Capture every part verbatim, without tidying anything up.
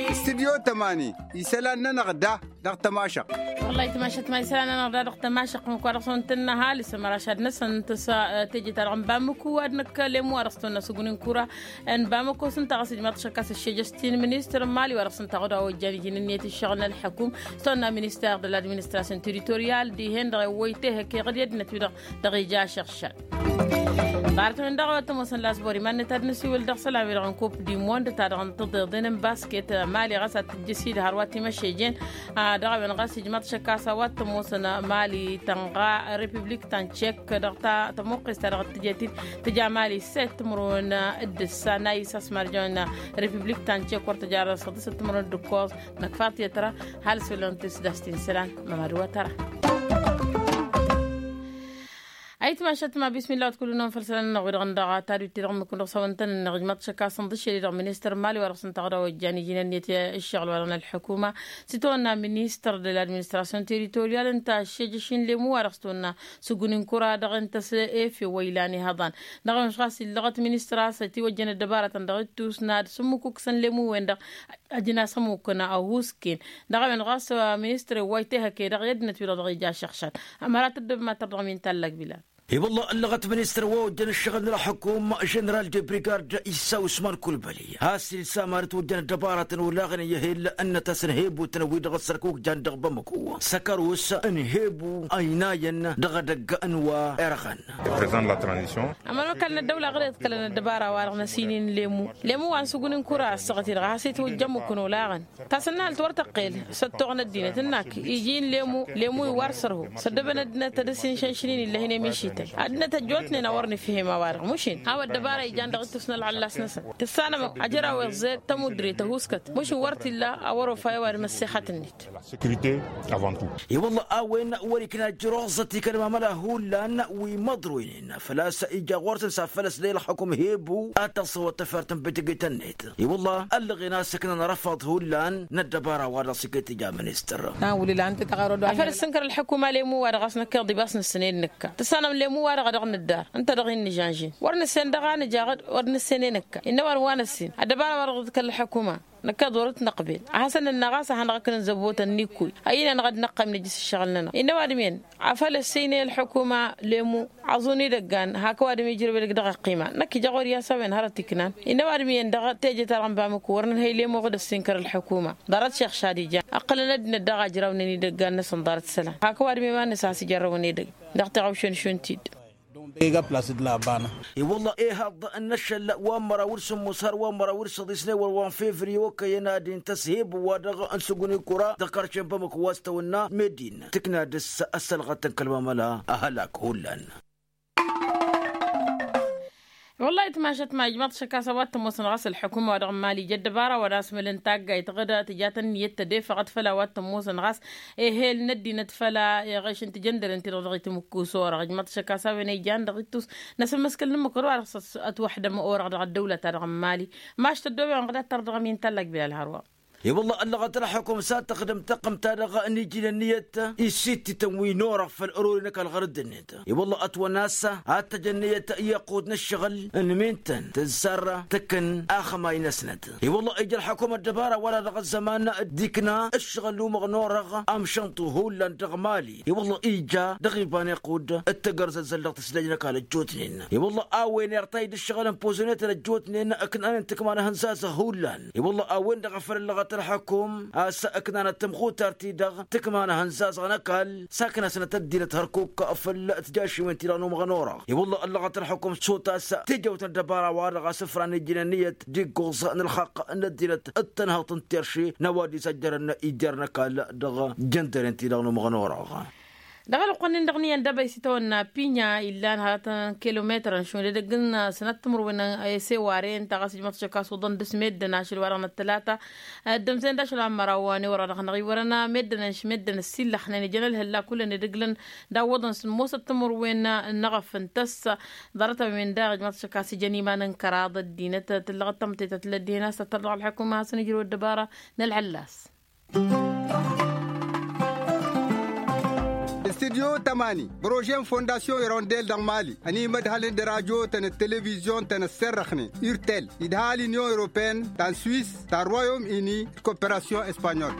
Istidyo tămani isălan-nănăɣ da dăɣ-tămašăɣt. Wăllah itmašăt ma isălan-nănăɣ da dăɣ-tămašăɣt măkwa dăɣ-s wăn tǝnnă ăhalǝs ămăraš ad-năsăn tǝsa teje-ta-dăɣ n-bamăku ad-năkk lemu wa dăɣ-s tăwănna săggun n-kura n-bamăku s-ǝnta ɣas ijmaḍ šăkka s-ăššejăš ti n-ministăr n-mali wa dăɣ-s ǝnta ɣud a ojjan iji-nǝnniyăt ǝššăɣǝl n-ălḥăkum s-tăwănna ministăr de l-administration territorial dihen-dăɣ iwwăy tehăke ɣǝd i-ăddinăt-wi-dăɣ dăɣ-ija ašăɣšal. Ḍarăt-wen-dăɣ a-wa t-ămoosăn lasbor iman-net ad-nǝsiwǝl dăɣ-isălan-wi-dăɣ n-kup du mond ta-dăɣ n-tiḍeḍen n-basket mali ɣas ad-tǝjjǝs-dd hărwa timăšejen. Dăɣ-a-wen ɣas ijmaḍ šăkka a-s a-wa t-ămoosăn mali tănɣa repiblik ta n-ček dăɣ-ta tămuqqes ta dăɣ-tǝjet-dd tǝja mali set timǝrwen d-ǝssa n-a isas marjăn repiblik ta n-ček wăr tǝja dăɣ-s ăḍǝsăt timǝrwen d-ǝkkoẓ. Năkfaḍ tiyăt tăra ăhalǝs făll-ăntis d-a-s ti n-isălan mămădwăt tăra. Ayǝtmašat ma bismillah wa t-kull-năwăn făll-isălan-nănăɣ wi-dăɣ n-dăɣ tadut-ti-dăɣ n-mǝkkun dăɣ-s-awăn-tăn-ănneɣ ijmaḍ šăkka s-inḍǝššel-i-dăɣ ministăr n-mali wa dăɣ-s ǝnta ɣǝd a ojjan iji-nănniyăt ǝššăɣǝl wa dăɣ-nălḥukuma s-itawănna ministăr de l-administration territorial ǝnta ăššejăš-in lemu wa dăɣ-s tawănna sǝggun n-kura dăɣ-intăs efew wa ilan ihăḍan. Dăɣ-a-wen ɣas illăɣăt ministăr a-s ătiwăjjăn ăddăbarătăn dăɣ-ittus n-ad-sǝmmǝkuksăn lemu-wen-dăɣ. Ajǝn-as ămmukăn ăhuusken dăɣ-a-wen ɣas ministăr iwway tehăke dăɣ-i ăddinăt-wi-dăɣ dăɣ-ija ašăɣšal. Ămăra tăddobem ad-tărdăɣăm i n-tallag bilal. I-wălla ăllăɣăt ministăr wa ojjăn ǝššăɣǝl n-ălxukum ženeral de brigard isa usman kulbăli has-ilsa ămăra itwăjjăn ăddăbarătăn olaɣăn i-ehel ǝnnăt-asăn hebutăn-wi-dăɣ ăssărkuk jan dăɣ-bamăku săkărus n-hebu ăynayăn dăɣ-edăgg n-wa irɣăn. Ămăra ăkall n-ăddăwla ɣǝr-i ăḍkălăn ăddăbara-wa-dăɣ n-asǝynin lemu lemu wa n-sǝggun n-kura ăssaɣăt-i-dăɣ a has-itwǝjjăn mǝkkǝn olaɣăn. Tasǝnnalt wăr tăqqel s-ăttoɣăn ăddinăt ǝnnak iji n-lemu lemu iwar sărhu s-ăddăbăn ăddinăt ad-dăr-s inšănšǝn-in illăh-in emišităn ăddinăt ăjjootnen a wăr nǝfhim a-wa-dăɣ mušin a-wa ăddăbara ijan dăɣ-ittus n-ălɣăllas-năsăn tǝssanăm ajăraw iẓẓed tămudre tăhuskăt mušin wăr t-illa a wăr-ofa i-ăwadǝm ăssexăt-net. I-wălla a-wen wăr-ikna ăjrăẓăt ikălmamăla hullan wi măḍroynen făl-a-s ija ɣur-săn s-ad-făl-ăslăy ălxukum hebu ad-tăẓẓăwăt tafert n-bǝtǝgǝytăn-net. I-wălla ăllăɣen a-s ǝknan răfaḍ hullan n-ăddăbara-wa-dăɣ s-iket ija ministăr. Afăl ǝssǝnkăr ălḥukuma lemu-wa-dăɣ a-s năkk iḍibas nǝssǝn e d-nǝkka tǝssanăm lemu-wa-dăɣ a dăɣ-nǝddar ǝnta-dăɣ-i n-nǝžănžin wăr nǝssen dăɣ-a nǝja wăr nǝssen e nǝkka innă ăwadǝm wa năssin ăddăbara-wa-dăɣ dd-kăl-ălḥukuma. Năkk iḍorăt năqbel ad-hasăn-nǝnna ɣas ad-hanăɣ-ǝknǝn zăbotăn n-ikkuy ăyy-năn-dăɣ ad-năqqayǝm nǝjjǝs ǝššăɣǝl-nănăɣ innă ăwadǝm-en afăl ăsseynen ălḥukuma lemu. Aẓun idăggan hak ăwadǝm ijrăw edăgg dăɣ-ăqqima năkk ija ɣur-i a-s a-wen hărăt iknan innă ăwadǝm iyyăn dăɣ-teje-ta-dăɣ n-bamǝku wăr nǝnhăy lemu ɣǝd ăssinkăr ălḥukuma. Ḍarăt šeɣšad ijan ǝqqǝlăn ăddinăt daɣ a ǝjrawnen idăggan-năsăn ḍarăt isălan hak ăwadǝm i-iman-năs a has-ijărrăwăn edăgg. Dăɣ-tiɣawšen šund-t-dd. I-wălla ehăḍ n-ašăl wa n-măraw d-sǝmmos har wa n-măraw d-săḍisnewăl wa n-fevriye okăyăn ad-intăs hebu-wa-dăɣ n-sǝggun n-kura dăɣ-karšen bamăko wa s-tăwănna meddin tǝkna dăr-s ăssălɣăt n-kăl-mamăla. Ăhălak hullan. Wăllah itmašăt ma ijmăḍ šăkk a-s a-wa t-ămoosăn ɣas ălḥukuma wa dăɣ-mali ija ăddăbara wa n-asmǝl n-taggayt ɣǝd tǝjat ǝnniyăt tădefăɣăt făll-a-wa t-ămoosăn ɣas ehel n-ăddinăt făll-a iɣeš n-tijăndăren-ti-dăɣ dăɣ-itǝmǝkkus orăɣ ijmăḍ šăkk a-s a-wen ija n-dăɣ-ittus n-asǝmmǝskǝl n-ǝmmǝk ɣur-wa-dăɣ s-ătwăḥdăm orăɣ dăɣ-ăddăwlăt-ta-dăɣ n-mali. Maš tăddoben ɣǝd ad-tărdăɣăm-i n-tallag bilal hărwa. I-wălla ăllăɣăt ălxukum s-ad-tăxdăm tăqqǝmt-ta-dăɣ n-iji n-ǝnniyăt. Isittǝtăn wi n-orăɣ făll-ărori n-ăkall ɣărădd-net. I-wălla ătwănna a-s ad-tăj ǝnniyăt i-iqqud n-ǝššăɣǝl n-mintăn tǝzzar tǝkkǝn axămay-năsnăt. I-wălla ija ălxukum ăddăbara wăla dăɣ-ăzzăman d-ikna ǝššăɣǝl n-umăɣ n-orăɣ amšănṭu hullan dăɣ-mali i-wălla ija dăɣ-iba n-iqqud d-tăgărzăzzăl dăɣ-tǝslej n-ăkall ăjjootnen. I-wălla a-wen irtay d-ǝššăɣǝl n-pozănetăn ăjjootnen ǝknan n-tǝkma n-ehăn zazăɣ hullan. I-wălla a-wen-dăɣ a făl ăllăɣăt ălxukum a-s ǝknanăt tămxutart-ti-dăɣ tǝkma n-ehăn zazăɣ n-ăkall saknăsnăt ăddinăt hărkuk făll-tijašǝwen-ti-dăɣ n-umăɣ n-orăɣ. I-wălla ăllăɣăt ălxukum s-otas tijăwt n-ăddăbara-wa-dăɣ a-s ǝfran iji n-ǝnniyăt d-iggoẓ n-ălxaqq n-ăddinăt d-tănhăḍt n-terše n-ăwadis ăjjărăn ijjărăn ăkall dăɣ-jăndăren-ti-dăɣ n-umăɣ n-orăɣ. Dăɣ-ălwăqq-nin-dăɣ n-iyyăn d-abăy s-itawănna pinya illan hărătăn kilometărăn šund edăgg n-sănăt timǝrwen i-seware ǝnta ɣas ijmăḍ šăkk a-s uḍăn dăr-s meddǝn ašăl wa dăɣ-năttălata. Ăddămzen d-ašăl wa n-măraw wa n-ewăr wa dăɣ-năɣ iwărăn meddǝn ănš meddǝn ăssillăxnen ijăn ălhălla kullăn edăgg-lăn d-awwăḍăn s-ămoosăt timǝrwen n-eɣăf n-tăssa. Ḍarăt-a-wen daɣ ijmăḍ šăkk a-s ijăn iman n-kăraḍ ăddinăt tǝllăɣăt tamătăyt a tǝllăt dihen a-s tăttăr dăɣ-ălḥukuma a hasăn-ijrăw ăddăbara n-ălɣăllas. Studyo tămani, brožen fondasyon irondel dăɣ-mali ănimădhălăn d-rajo-tăn d-televizyon-tăn ăsserrăxnen, urtel, idhal inyon europeen, ta n-swis, ta n-royom ini d-koperasyon espanyol.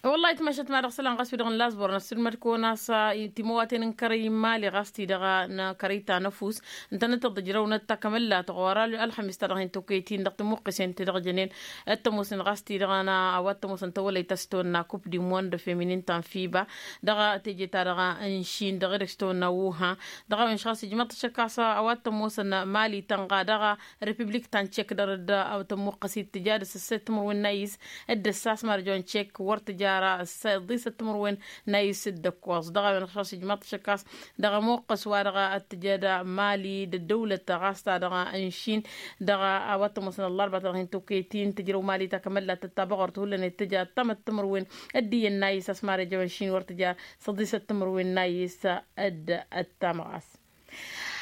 Wăllah itmăšăt ma dăɣ-isălan ɣas wi-dăɣ n-lazbor n-ăssilmăd-kăwăn a-s timăwaten n-kărăy n-imali ɣas-ti-dăɣ n-kărăy ta n-ăfuss, ǝntănăt-tăḍ ǝjrăwnăt takămăllat ɣur-ălxămis ta dăɣ-hin-tokăyăt-in dăɣ-timǝqqǝsen ti-dăɣ jănen. Ăttămoosnen ɣas-ti-dăɣ n-a-wa t-ămoosăn tawălăyt a-s tăwănna kup di mond feminin ta n-fiba, dăɣ-teje-ta-dăɣ n-šin dăɣ-edăgg s-tăwănna wuhan. Dăɣ-a-wen ɣas ijmăḍ-t ašăk a-s a-wa t-ămoosăn mali tănɣa dăɣ-repiblik ta n-ček dăr-dd tămmuqqăs ittǝja d-săssăt timǝrwen n-ayǝs, dd-ăssas marjăwăn ček wăr tǝjara ăḍḍisăt timǝrwen n-ayǝs dd-ăkkoẓ. Dăɣ-a-wen ɣas ijmăḍ-t ašăk a-s dăɣ-ămoqqăs wa dăɣ-ăttǝjăd mali d-ăddăwlăt ɣas ta dăɣ-n šin. Dăɣ-a-wa t-ămoosăn ăllarba ta dăɣ-hin-tokăyăt-in tǝjrăw mali ta kămăllat tătta băɣăr t-hullan ittǝja ăṭṭamăt timǝrwen ăddiyyăn n-ayǝs a-s marjăwăn šin wăr tǝja s-ăḍḍisăt timǝrwen n-ayǝs. Dd-ăttamăɣas.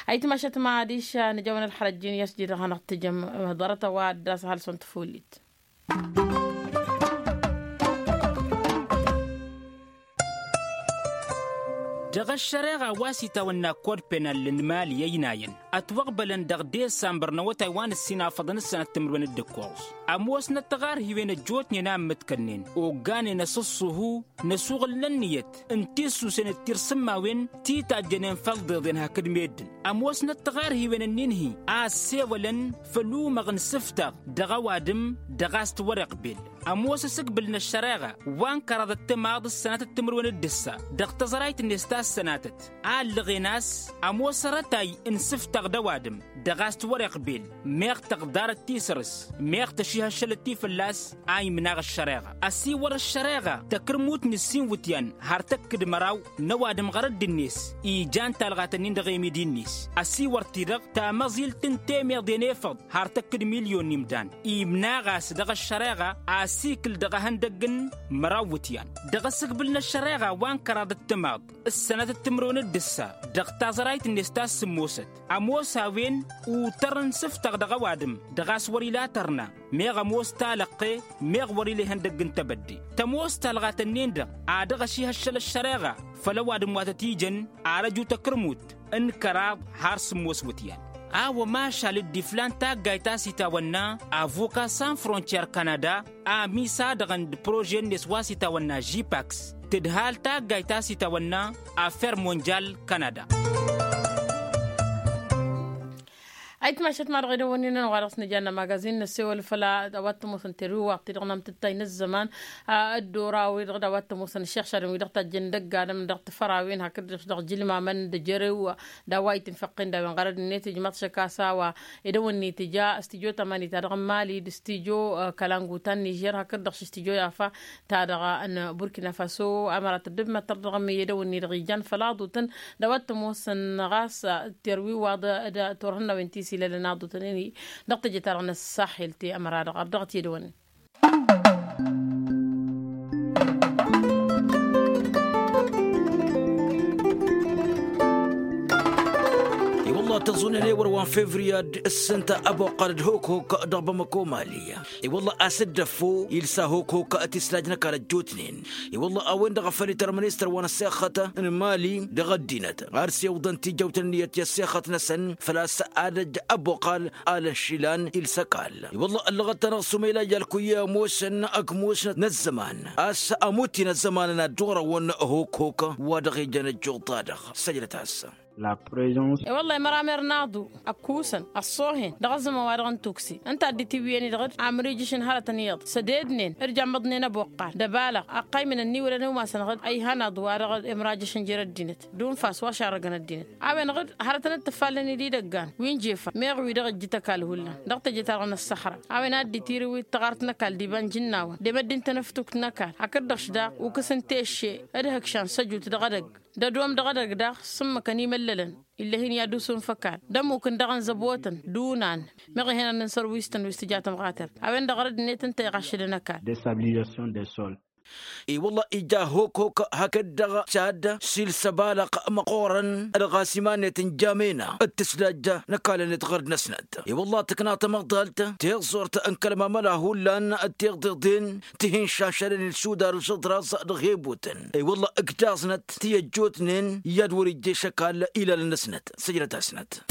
Ayǝtmašăt ma adiš nǝjawăn ălxărăt jin i-asjid dăɣ-hanăɣ-tǝjăm ḍarăt a-wa dd-asăhăl s-wăn tǝfullit. Dăɣ-ăššăreɣa wa s-itawănna kod penal n-imali ăynayăn ătwăɣbălăn dăɣ-desambăr n-awătay wa n-ǝssin afăḍăn ǝssănăt timǝrwen d-ǝkkoẓ. Ămoosnăt taɣarhiwen ăjjootnen a ǝmmǝtkănnen ogganen asǝṣṣuhu n-asuɣǝl n-ǝnniyăt n-tissusen d-tirsǝmmawen ti tajjănen făll-iḍeḍen hakd meddǝn. Ămoosnăt taɣarhiwen ǝnnin-hi a ăssewălăn făll-umăɣ n-isǝftaɣ dăɣ-ăwadǝm dăɣ-a-s t-wăr-iqbel. Ămoos asǝgbǝl n-ăššăreɣa wa n-kăraḍ ăttămaḍ ǝssănatăt timǝrwen d-ǝssa dăɣ-tăẓrayt-net ta ǝssănatăt a ǝllăɣen a-s ămoos arătay n-isǝftaɣ d-ăwadǝm dăɣ-a-s t-wăr-iqbel meɣ tăɣḍarăt ti săr-s meɣ tăšihăššălăt ti fălla-s. A imnaɣ ăššăreɣa ăsiwăr ăššăreɣa takǝrmut n-ǝssin iwǝtyan har tăkk d-măraw n-ăwadǝm ɣărădd-net ijan talɣat-ǝnnin dăɣ-emidi-net. Ăsiwăr-t-dăɣ tamăẓilt n-temeḍe n-efăḍ har tăkk d-milyon n-imdan imnaɣ a-s dăɣ-ăššăreɣa asikǝl dăɣ-ehăndăgg n-măraw iwǝtyan dăɣ-asǝgbǝl n-ăššăreɣa wa n-kăraḍ ăttămaḍ ǝssănăt d-timǝrwen d-ǝssa dăɣ-taẓrayt-net ta s-sǝmmosăt. Ămoos a-wen utăr n-isǝftăɣ dăɣ-ăwadǝm dăɣ-a-s wăr-ila tărna meɣ ămoos talăqqe meɣ wăr-ila ihăndăgg n-tebădde. Tămoos talɣat-ǝnnin-dăɣ a dăɣ-ăšihăššăl ăššăreɣa făll-ăwadǝm wa tăt-ijăn arăju takărmut n-kăraḍ har sǝmmos iwǝtyan. A-wa mašal dd-iflan taggayt a-s itawănna avuka san frontier kanada a ămisadăɣăn d-prože-net wa s-itawănna žipaks tǝdhal taggayt a-s itawănna affer monjal kanada. Ayǝtmašăt ma dăɣ-edăwănnin-nănăɣ wa dăɣ-s nǝja n-amagazin năssewăl făll-a-wa t-ămoosăn terwiwaḍt-ti-dăɣ n-amtǝttay n-ăzzăman ăddoraw-i-dăɣ d-a-wa t-ămoosăn ăššăɣšadăn wi-dăɣ tajjăn dăgg-adǝm dăɣ-tifărawen hakd-dăɣ dăɣ-ijǝlmamăn d-ejărew d-a-wa itǝnfăqqen d-a-wen ɣărăd-net ijmaḍ-t šăkk a-s a-wa edăwănni tǝja studyo tamani ta dăɣ-n mali d-studyo kălangu ta n-nižer hakd-dăɣ š-studyo yafa ta dăɣ-n burkina faso. Ămăra tăddǝbmătăr dăɣ-măyyădăw-ni-dăɣ ijan făll-aḍutăn d-a-wa t-ămoosăn ɣas terwiwaḍ d-turhǝnnawen ti s-ilălăn aḍutăn-i dăɣ-teje-ta-dăɣ n-ăssaxel ti ămăra dăɣ-ărdăɣăt i-edăwănni. I-wălla tăẓunen ewăr wa n-fevriya d-ǝssǝnta ăboqqal d-hokhok dăɣ-bamako mali. I-wălla a-s dd-ăffo ilsa hokhok tislaj n-ăkall ăjjootnen. I-wălla a-wen-dăɣ a făl ităr ministăr wa n-ăssexăt n-mali dăɣ-ăddinăt ar s-iwǝḍăn tijăwt n-ǝnniyăt i-ăssexăt-năsăn făl-a-s ad-ăj ăboqqal alăn šilan ilsăkal. I-wălla ăllăɣăt-anăɣ s-umăyla i-alkuy i-ămoosăn ăgg-musnăt n-ăzzăman a-s ămuti n-ăzzăman n-ad-dd-oɣrăwăn hokhok wa dăɣ-ijăn ăjjuḍ-ta-dăɣ. Săjdăt-as. I-wălla imăramer n-aḍu ăkkusăn ăṣṣohen dăɣ-ăzzăman wa dăɣ-n tuksi ǝnta a dd-itiwǝyăn-i-dăɣ d-amrijǝšăn hărătăn iyyăḍ sădednen d-jammăḍnen ăboqqal d-ăbaleɣ ăqqaymǝnăn n-iwǝlăn i-umasăn ɣǝd ăyhan aḍu wa dăɣ-imrajǝšăn jer-ăddinăt d-unfas wa šarrăgăn ăddinăt. A-wen-dăɣ hărătăn d-tǝffalnen-dd idăggan wi n-jefan meɣ wi-dăɣ ǝjjǝt ăkall hullan dăɣ-teje-ta-dăɣ n-ăssăxra. A-wen a dd-itiriwǝy taɣart n-ăkall d-iba n-jǝnnawăn d-emăddi n-tenăftukt n-ăkall hakd-dăɣ š-daɣ ukǝs n-tešše d-hǝkšan săjut dăɣ-edăgg d-ădom dăɣ-edăgg daɣ s-ǝmmǝkăn imăllălăn ill'-e-hin i-ad-usun făkal d-ămmuk n-dăɣ-ănzăbotăn d-unan meɣ ihănăn n-sărwisăn wi s-tǝja tămɣatert. A-wen-dăɣ rădd-net ǝnta iɣaššădăn ăkall. Destabilization des sols. I-wălla ija hok-hok hakd-dăɣ, cad s-ilsăbalăɣ măqqoorăn ălɣasiman-net n-jamena d-tǝslajja n-ăkall-net ɣărd-năsnăt. I-wălla tǝkna tamăḍalt tiẓẓurt n-kăl-mamăla hullan d-tiḍeḍen tihinšašălăn ilsudar s-aḍras dăɣ-hebutăn. I-wălla ǝkdaẓnăt ti ăjjootnen i-ad-wăr ijje šăkall ilalăn-năsnăt săjdăt-asnăt.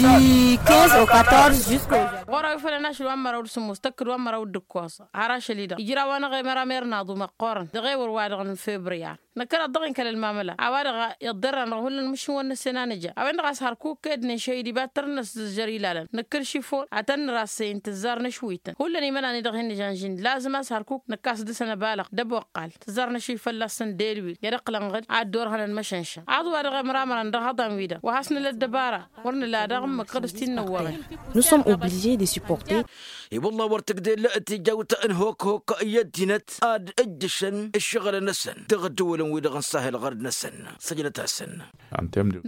Ɣur-a wi fălăn ašăl wa n-măraw d-sǝmmos tăkk d-wa n-măraw d-ǝkkoẓ har ašăl-i-dăɣ ijraw-anăɣ i-măramer n-aḍu măqqoorăn dăɣ-ewăr-wa-dăɣ n-febriyar. Năkkăneḍ dăɣ-inkăl ălmamăla a-wa-dăɣ iḍḍerran dăɣ-hullan măšin wăr năssin a nǝja a-wen-dăɣ a-s hărkuk ed nǝnšăy d-ibattăr-năs d-ǝžžăr ilalăn nǝkkǝl šifon ad-tăn-nǝra ăssăyǝn tǝzzar n-ašwităn hullan imănan-i-dăɣ hin-nǝžanžin lazǝm a-s hărkuk nǝkkas dăɣ-săn ăbalăɣ d-ăboqqal tǝzzar n-ašwi fălla-săn d-elwil i-ad-ăqqǝlăn ɣǝd ad-dd-orhănăn măšănšăn aḍu-wa-dăɣ imramărăn dăɣ-iḍan-wi-dăɣ wa has-nǝla ăddăbara wăr nǝla daɣ ǝmmǝk ɣǝd s-t-in-năwwăɣen. Nous sommes obligés de supporter. I-wălla wăr tǝgdel tijawt n-hok-hok i-ăddinăt ad-ǝjjǝšăn ǝššăɣǝlăn-năsăn dăɣ-ăddăwălăn-wi-dăɣ n-sahil ɣărd-năsăn. Săjdăt-asăn.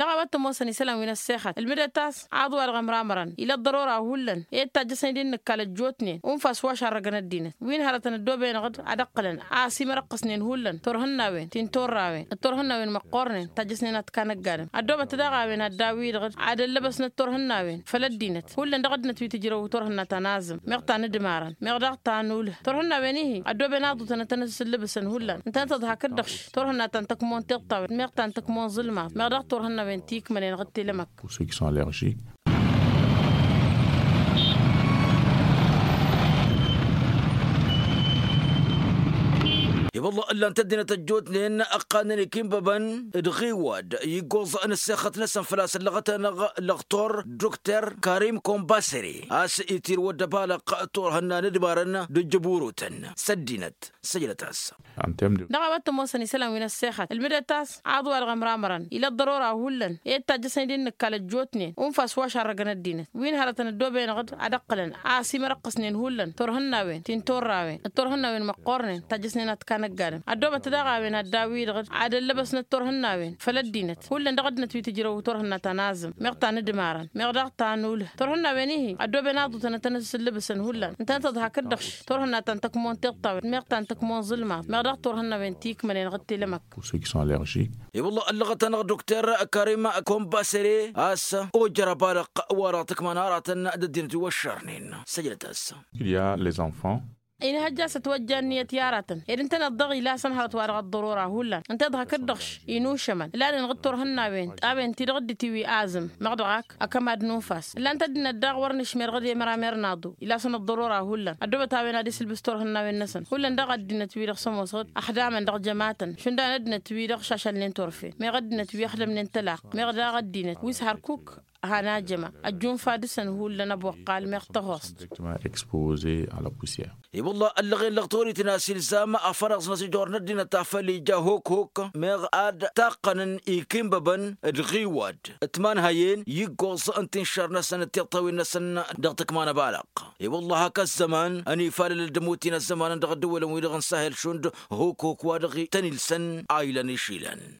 Dăɣ-a-wa t-ămoosăn isălan wi n-ăssexăt ǝlmǝdăt a-s aḍu-wa-dăɣ ămramărăn ila ăḍḍărora hullan i-dd tajjăsnen d-inǝkkal ăjjootnen unfa s-wa šarrăgăn ăddinăt wi n-hărătăn ăddooben ɣǝd ad-ăqqǝlăn a-s imărăqqǝsnen hullan turhǝnnawen ti n-turrawen d-turhǝnnawen măqqoornen tajjăsnen ad-t-kanăggadăn ăddoobăt daɣ a-wen ad-daw-i-dăɣ ad-ăllăbăsnăt turhǝnnawen făll-ăddinăt hullan dăɣ-ăddinăt wi tǝjrăw turhǝnna ta n-azǝm meɣ ta n-ǝdmarăn meɣ daɣ ta n-ulh turhǝnnawen-ihi ăddooben aḍutăn ad-tăn-ăsǝllǝbǝsăn hullan ǝntănăt-ăḍhak d-dăɣš turhǝnna ta n-tăkmon tiṭṭawet meɣ ta n-tăkmon ẓǝlmaḍ meɣ daɣ turhǝnnawen ti ikmănen ɣǝd tilămăk. Pour ceux qui sont allergiques. I-wălla ǝllan-t ăddinăt ăjjootnen ăqqalnen ikinbăbăn d-ɣiwad iggoẓ n-ăssexăt-năsăn făl-a-s ăllăɣăt-anăɣ lăɣtor dukter karim kombasere a-s itirwăd ăbalăɣ turhǝnna n-ǝdmarăn d-ǝjjǝburutăn s-ăddinăt. Săjdăt-as. Dăɣ-a-wa t-ămoosăn isălan wi n-ăssexăt ǝlmǝdăt a-s aḍu-wa-dăɣ ămramărăn ila ăḍḍărora hullan i-dd-tajjăsnen d-inǝkkal ăjjootnen unfa s-wa šarrăgăn ăddinăt wi n-hărătăn ăddooben ɣǝd ad-ăqqǝlăn a-s imărăqqǝsnen hullan turhǝnnawen ti n-turrawen d-turhǝnnawen măqqoornen tajjăsnen ad-t-kanăggadăn ăddoobăt daɣ a-wen ad-daw-i-dăɣ ad-ăllăbăsnăt turhǝnnawen făll-ăddinăt hullan dăɣ-ăddinăt wi tǝjrăw turhǝnna ta n-azǝm meɣ ta n-ǝdmarăn meɣ daɣ ta n-ulh turhǝnnawen-ihi ăddooben aḍutăn ad-tăn-ăssǝllǝbǝsăn hullan ǝntănăt-ăḍhak d-dăɣš turhǝnna ta n-tăkmon tiṭṭawet meɣ ta n-tăkmon ẓǝlmaḍ meɣ daɣ turhǝnnawen ti ikmănen ɣǝd tilămăk. Pour ceux qui sont allergiques. I-wălla ăllăɣăt-anăɣ dukter karim kombasere a-s ojăr ăbalăɣ wa-dăɣ tǝkman aratăn d-ăddinăt wi wăššărnen. Săjdăt-as. Il y a les enfants. Inhăjja a-s ătwăjja ǝnniyăt i-aratăn ed ǝntăneḍ-dăɣ ila a-s ănhărăt wa-dăɣ ăḍḍărora hullan ǝnta-i-dăɣ hakd-dăɣ inušămăn ǝlanen ɣǝd turhǝnnawen. A-wen ti-dăɣ dd-itiwi azǝm meɣ dăɣ-ak ăkămad n-unfas ǝllan-t ăddinăt daɣ wăr nǝšmer ɣǝd i-măramer n-aḍu. Ila a-s ănăḍḍărora hullan ăddoobăt a-wen ad-isǝlbǝs turhǝnnawen-năsăn hullan daɣ ăddinăt-wi-dăɣ s-ămoos ɣǝd ăxdamăn dăɣ-jămatăn šund a-wen ăddinăt-wi-dăɣ šašălnen turfen meɣ ăddinăt wi ăxdămnen tălaqq meɣ daɣ ăddinăt wi s-hărkuk. Hanajăma ăjjunfa dăɣ-săn hullan ăboqqal meɣ tăhost. Directement exposé à la poussière. I-wălla ăllăɣen lăɣtorităn a-s ilzam afănaẓ-năsăn ijor n-ăddinăt ta făl ija hok-hok meɣ ad-taqqănăn ikinbăbăn d-ɣiwad ǝtmanhăyen iggoẓ n-tinšar-năsăn d-tiṭṭawen-năsăn dăɣ-tǝkma n-ăbalăɣ. I-wălla hak ăzzăman ănifalăl d-ămutin ăzzămanăn dăɣ-ăddăwălăn-wi-dăɣ n-sahel šund hok-hok wa dăɣ-tăn-ilsăn a ilăn išilăn.